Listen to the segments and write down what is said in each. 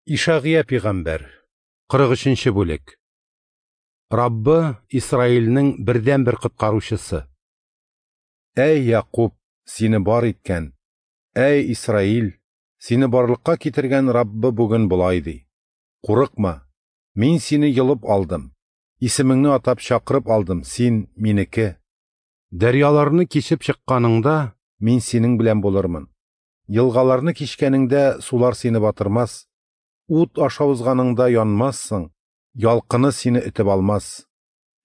Ишагыя пигамбәр, 43 нче бүлек. Раббы Исраилнең бердәнбер коткаручысы. Әй Якуб, сине бар иткән, әй Исраил, сине барлыкка китергән Раббы бүген болай ди: Курыкма, мин сине йолып алдым, исемеңне атап чакырып алдым, син минеке. Дәрьяларны кичеп чыкканыңда, мин синең белән булырмын. Елгаларны кичкәнеңдә сулар сине батырмас. Ут аша узганыңда янмассың, ялкыны сине өтеп алмас.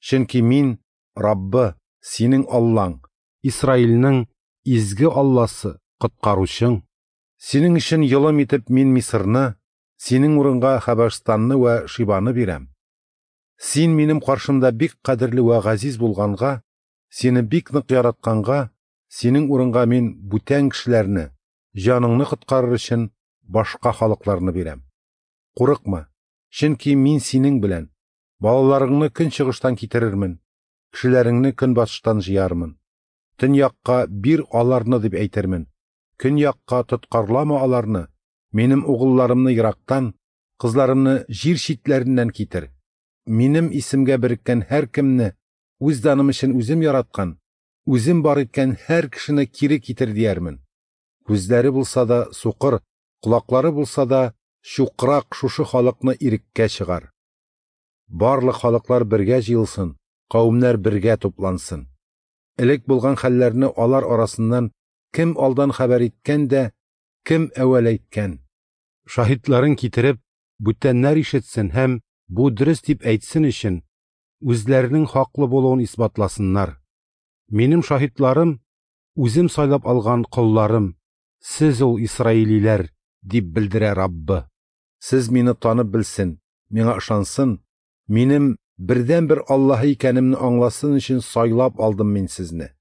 Чөнки мин, Раббы, синең Аллаң, Исраилнең изге Алласы, коткаручың. Синең өчен йолым итеп мин Мисырны, синең урынга Хәбәшстанны вә Шибаны бирәм. Син минем каршымда бик кадерле вә газиз булганга, сине бик нык яратканга, синең урынга мин бүтән кешеләрне, җаныңны коткарыр өчен башка халыкларны бирәм. Курыкма, чөнки мин синең белән, балаларыңны көнчыгыштан китерермен, кешеләреңне көнбатыштан җыярмын. Төньякка бир аларны дип әйтермен, көньякка тоткарлама аларны, минем угылларымны ерактан, кызларымны җир читләреннән китер. Минем исемгә береккән һәркемне, үз даным өчен үзем яраткан, үзем бар иткән һәр кешене кире китер диярмен. Күзләре булса да сукыр, колаклары булса да чукрак шушы халыкны иреккә чыгар. Барлык халыклар бергә җыелсын, кавемнәр бергә туплансын. Элек булган хәлләрне алар арасыннан кем алдан хәбәр иткән дә, кем әүвәл әйткән. Шаһитларын китереп, бүтәннәр ишетсен һәм бу дөрес дип әйтсен өчен, үзләренең хаклы булуын исбатласыннар. Минем шаһитларым, үзем сайлап алган колларым, сез ул исраилиләр, дип белдерә Раббы. Сез мине танып белсен, миңа ышансын, минем бердәнбер Аллаһы икәнемне аңласын өчен сайлап алдым мин сезне.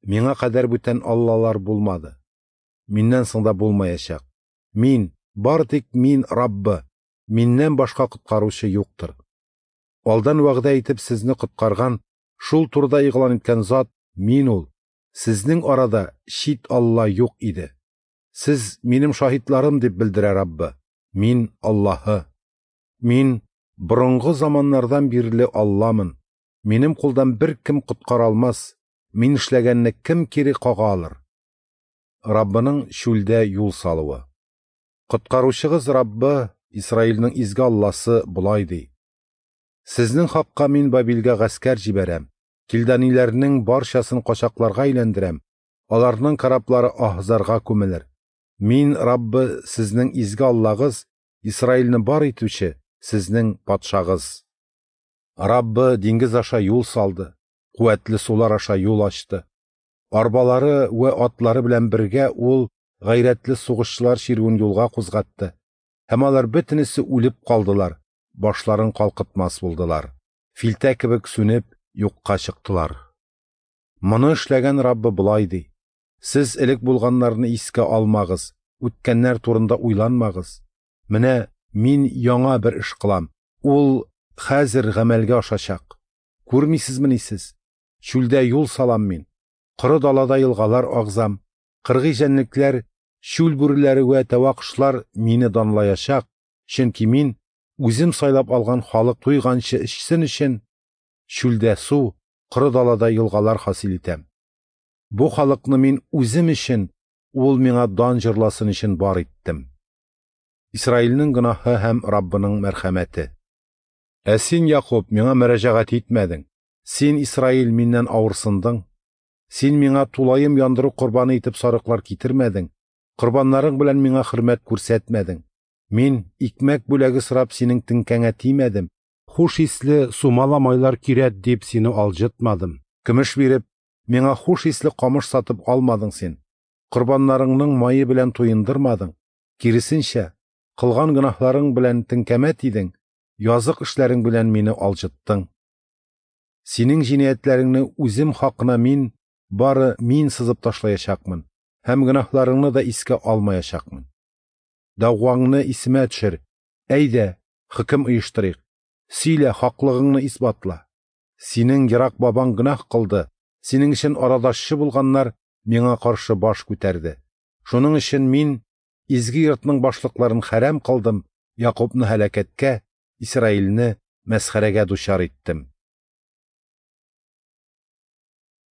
Миңа кадәр бүтән аллалар булмады. Миннән соң да булмаячак. Мин, бары тик мин Раббы, миннән башка коткаручы юктыр. Алдан вәгъдә итеп сезне коткарган, шул турыда игълан иткән зат мин ул. Сезнең арада чит Алла юк иде. Сез минем шаһитларым дип белдерә Раббы. Мин Аллаһы. Мин борынгы заманнардан бирле Алламын. Минем кулдан бер кем коткара алмас. Мин эшләгәнне кем кире кага алыр? Раббының чүлдә юл салуы. Коткаручыгыз Раббы, Исраилнең изге Алласы болай ди: Сезнең хакка мин Бабилгә гаскәр җибәрәм, килданиләрнең барчасын качакларга әйләндерәм, аларның кораблары аһзарга күмелер. Мин, Раббы, сезнең изге Аллагыз, Исраилне бар итүче, сезнең патшагыз. Раббы диңгез аша юл салды, куәтле сулар аша юл ачты. Арбалары вә атлары белән бергә ул гайрәтле сугышчылар чирүен юлга кузгатты. Һәм алар бөтенесе үлеп калдылар, башларын калкытмас булдылар. Филтә кебек сүнеп, юкка чыктылар. Моны эшләгән Раббы болай ди: Сез элек булганнарны искә алмагыз, үткәннәр турында уйланмагыз. Менә мин яңа бер эш кылам. Ул хәзер гамәлгә ашачак. Күрмисезмени сез? Чүлдә юл салам мин. Коры далада елгалар агзам. Кыргый җәнлекләр, чүл бүреләре вә тәва кошлар мине данлаячак, чөнки мин үзем сайлап алган халык туйганчы эчсен өчен чүлдә су, коры далада елгалар хасил итәм. Бу халыкны мин үзем өчен, ул миңа дан җырласын өчен бар иттем. Исраилнең гөнаһы һәм Раббының мәрхәмәте. Ә син, Якуб, миңа мөрәҗәгать итмәдең. Син, Исраил, миннән авырсындың. Син миңа тулаем яндыру корбаны итеп сарыклар китермәдең, корбаннарың белән миңа хөрмәт күрсәтмәдең. Мин икмәк бүләге сорап синең теңкәңә тимәдем, хуш исле сумала майлар кирәк дип сине алҗытмадым. Көмеш биреп, миңа хуш исле камыш сатып алмадың син. Корбаннарыңның мае белән туендырмадың. Киресенчә, кылган гөнаһларың белән теңкәмә тидең, язык эшләрең белән мине алҗыттың. Синең җинаятьләреңне үзем хакына мин, бары мин сызып ташлаячакмын һәм гөнаһларыңны да искә алмаячакмын. Дәгъваңны исемә төшер. Әйдә, хөкем оештырыйк. Сөйлә, хаклыгыңны исбатла. Синең ерак бабаң гөнаһ кылды, синең өчен арадашчы булганнар миңа каршы баш күтәрде. Шуның өчен мин изге йортның башлыкларын хәрам кылдым, Якубны һәлакәткә, Исраилне мәсхәрәгә дучар иттем.